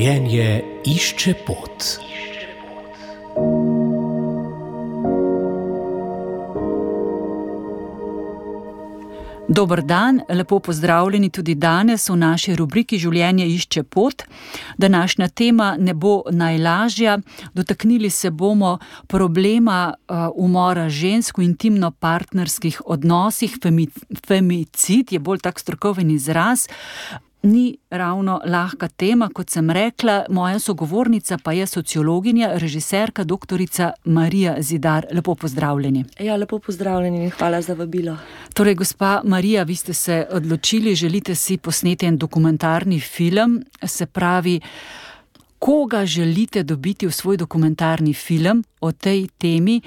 Življenje išče pot. Dober dan, lepo pozdravljeni tudi danes v naši rubriki Življenje išče pot. Današnja tema ne bo najlažja. Dotaknili se bomo problema umora žensk v intimno-partnerskih odnosih. Femicid je bolj tak strokoven izraz. Ni ravno lahka tema, kot sem rekla. Moja sogovornica pa je sociologinja, režiserka, doktorica Marija Zidar. Lepo pozdravljeni. Ja, lepo pozdravljeni in hvala za vabilo. Torej, gospa Marija, vi ste se odločili, želite si posneti en dokumentarni film, se pravi, koga želite dobiti v svoj dokumentarni film o tej temi,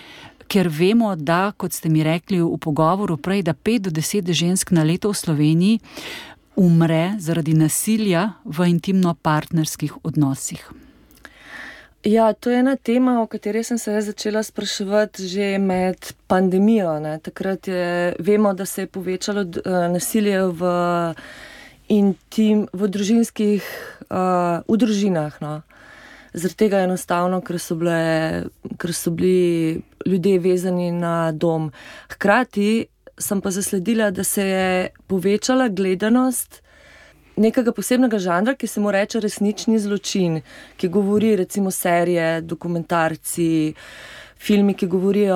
ker vemo, da, kot ste mi rekli v pogovoru prej, da 5 do 10 žensk na leto v Sloveniji umre zaradi nasilja v intimno-partnerskih odnosih. Ja, to je ena tema, o kateri sem se začela spraševati že med pandemijo. Takrat vemo, da se je povečalo nasilje v družinah. No. Zaradi tega enostavno, ker so bili ljudje vezani na dom. Hkrati sem pa zasledila, da se je povečala gledanost nekega posebnega žanra, ki se mu reče resnični zločin, ki govori recimo serije, dokumentarci, filmi, ki govorijo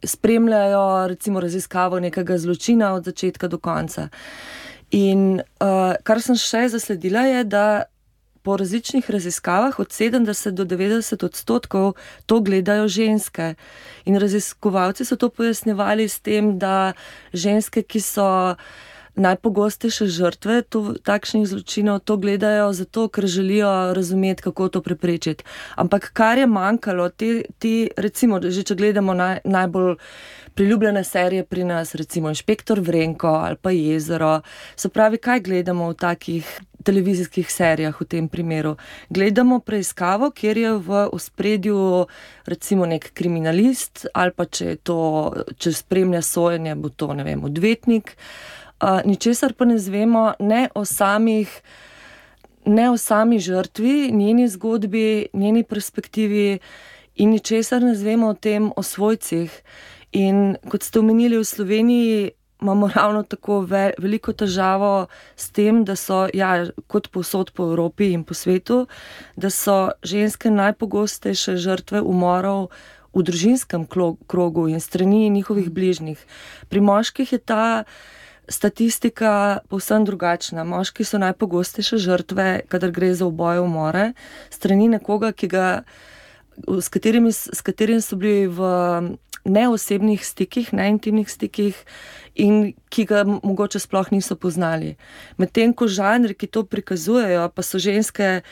spremljajo recimo raziskavo nekega zločina od začetka do konca. In kar sem še zasledila je, da po različnih raziskavah od 70 do 90% to gledajo ženske. In raziskovalci so to pojasnjevali s tem, da ženske, ki so najpogostejše žrtve takšnih zločinov, to gledajo zato, ker želijo razumeti, kako to preprečiti. Ampak kar je manjkalo, recimo, že če gledamo najbolj priljubljene serije pri nas, recimo Inšpektor Vrenko ali pa Jezero, se pravi, kaj gledamo v takih televizijskih serijah v tem primeru? Gledamo preiskavo, kjer je v ospredju recimo nek kriminalist ali pa če spremlja sojenje, bo to, ne vem, odvetnik. Ničesar pa ne zvemo ne o sami žrtvi, njeni zgodbi, njeni perspektivi in ničesar ne zvemo o svojcih. In kot ste omenili, v Sloveniji imamo ravno tako veliko težavo s tem, da so, kot povsod po Evropi in po svetu, da so ženske najpogostejše žrtve umorov v družinskem krogu in strani njihovih bližnjih. Pri moških je ta statistika povsem drugačna. Moški so najpogostejše žrtve, kadar gre za uboje, umore, strani nekoga, s katerim so bili v neosebnih stikih, neintimnih stikih in ki ga mogoče sploh niso poznali. Medtem ko žanri, ki to prikazujejo, pa so ženske,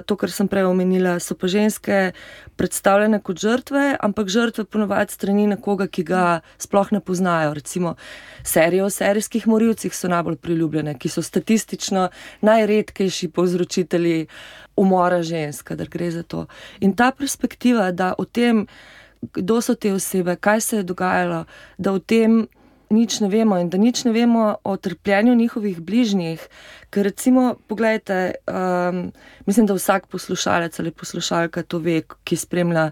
to, kar sem prej omenila, so pa ženske predstavljene kot žrtve, ampak žrtve ponavadi strani nekoga, ki ga sploh ne poznajo. Recimo serije o serijskih morilcih so najbolj priljubljene, ki so statistično najredkejši povzročitelji umora žensk, kadar gre za to. In ta perspektiva, da o tem, kdo so te osebe, kaj se je dogajalo, da o tem nič ne vemo in da nič ne vemo o trpljenju njihovih bližnjih. Ker recimo, poglejte, mislim, da vsak poslušalec ali poslušalka to ve, ki spremlja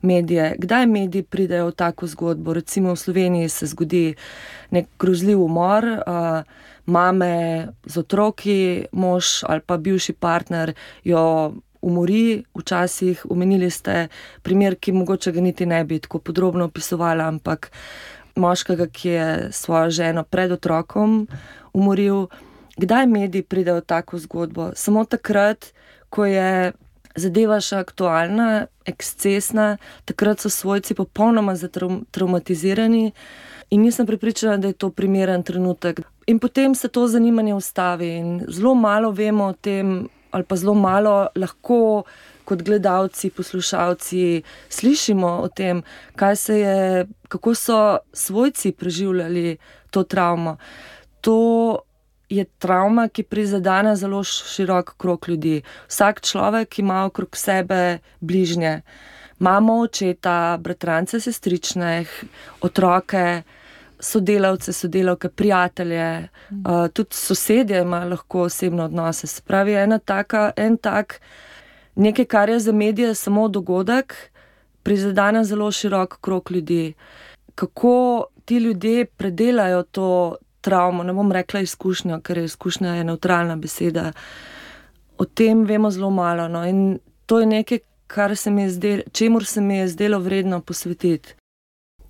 medije. Kdaj mediji pridejo v tako zgodbo? Recimo v Sloveniji se zgodi nek grozljiv umor, mame z otroki, mož ali pa bivši partner jo umori, včasih omenili ste primer, ki mogoče ga niti ne bi tako podrobno opisovala, ampak moškega, ki je svojo ženo pred otrokom umoril. Kdaj mediji pridejo v tako zgodbo? Samo takrat, ko je zadeva še aktualna, ekscesna, takrat so svojci popolnoma traumatizirani in nisem prepričana, da je to primeren trenutek. In potem se to zanimanje ustavi in zelo malo vemo o tem, ali pa zelo malo lahko kot gledalci, poslušalci slišimo o tem, kako so svojci preživljali to travmo. To je travma, ki prizadene zelo širok krog ljudi. Vsak človek ima okrog sebe bližnje. Mamo, očeta, bratrance, sestrične, otroke, sodelavce, sodelavke, prijatelje, tudi sosedje imajo lahko osebne odnose. Se pravi, nekaj, kar je za medije samo dogodek, prizadene zelo širok krog ljudi. Kako ti ljudje predelajo to travmo, ne bom rekla izkušnjo, ker izkušnja je nevtralna beseda. O tem vemo zelo malo, no, in to je nekaj, čemur se mi je zdelo vredno posvetiti.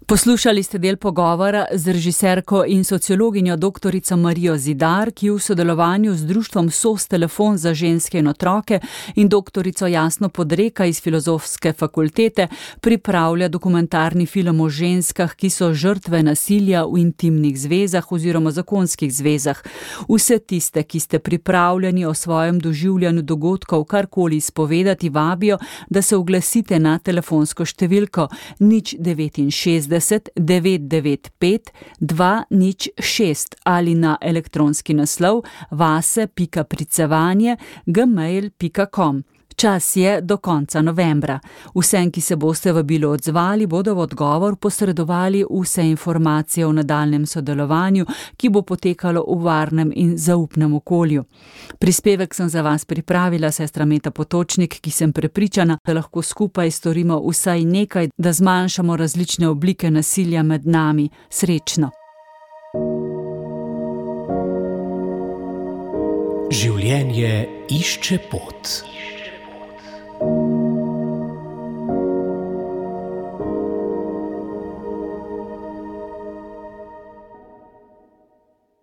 Poslušali ste del pogovora z režiserko in sociologinjo doktorico Marijo Zidar, ki v sodelovanju z društvom SOS Telefon za ženske in otroke in doktorico Jasno Podreka iz Filozofske fakultete pripravlja dokumentarni film o ženskah, ki so žrtve nasilja v intimnih zvezah oziroma zakonskih zvezah. Vse tiste, ki ste pripravljeni o svojem doživljanju dogodkov karkoli izpovedati, vabijo, da se oglasite na telefonsko številko 069 995 206 ali na elektronski naslov vase.pricevanje@gmail.com. Čas je do konca novembra. Vsem, ki se boste vabilo odzvali, bodo v odgovor posredovali vse informacije o nadaljnjem sodelovanju, ki bo potekalo v varnem in zaupnem okolju. Prispevek sem za vas pripravila sestra Meta Potočnik, ki sem prepričana, da lahko skupaj storimo vsaj nekaj, da zmanjšamo različne oblike nasilja med nami. Srečno! Življenje išče pot.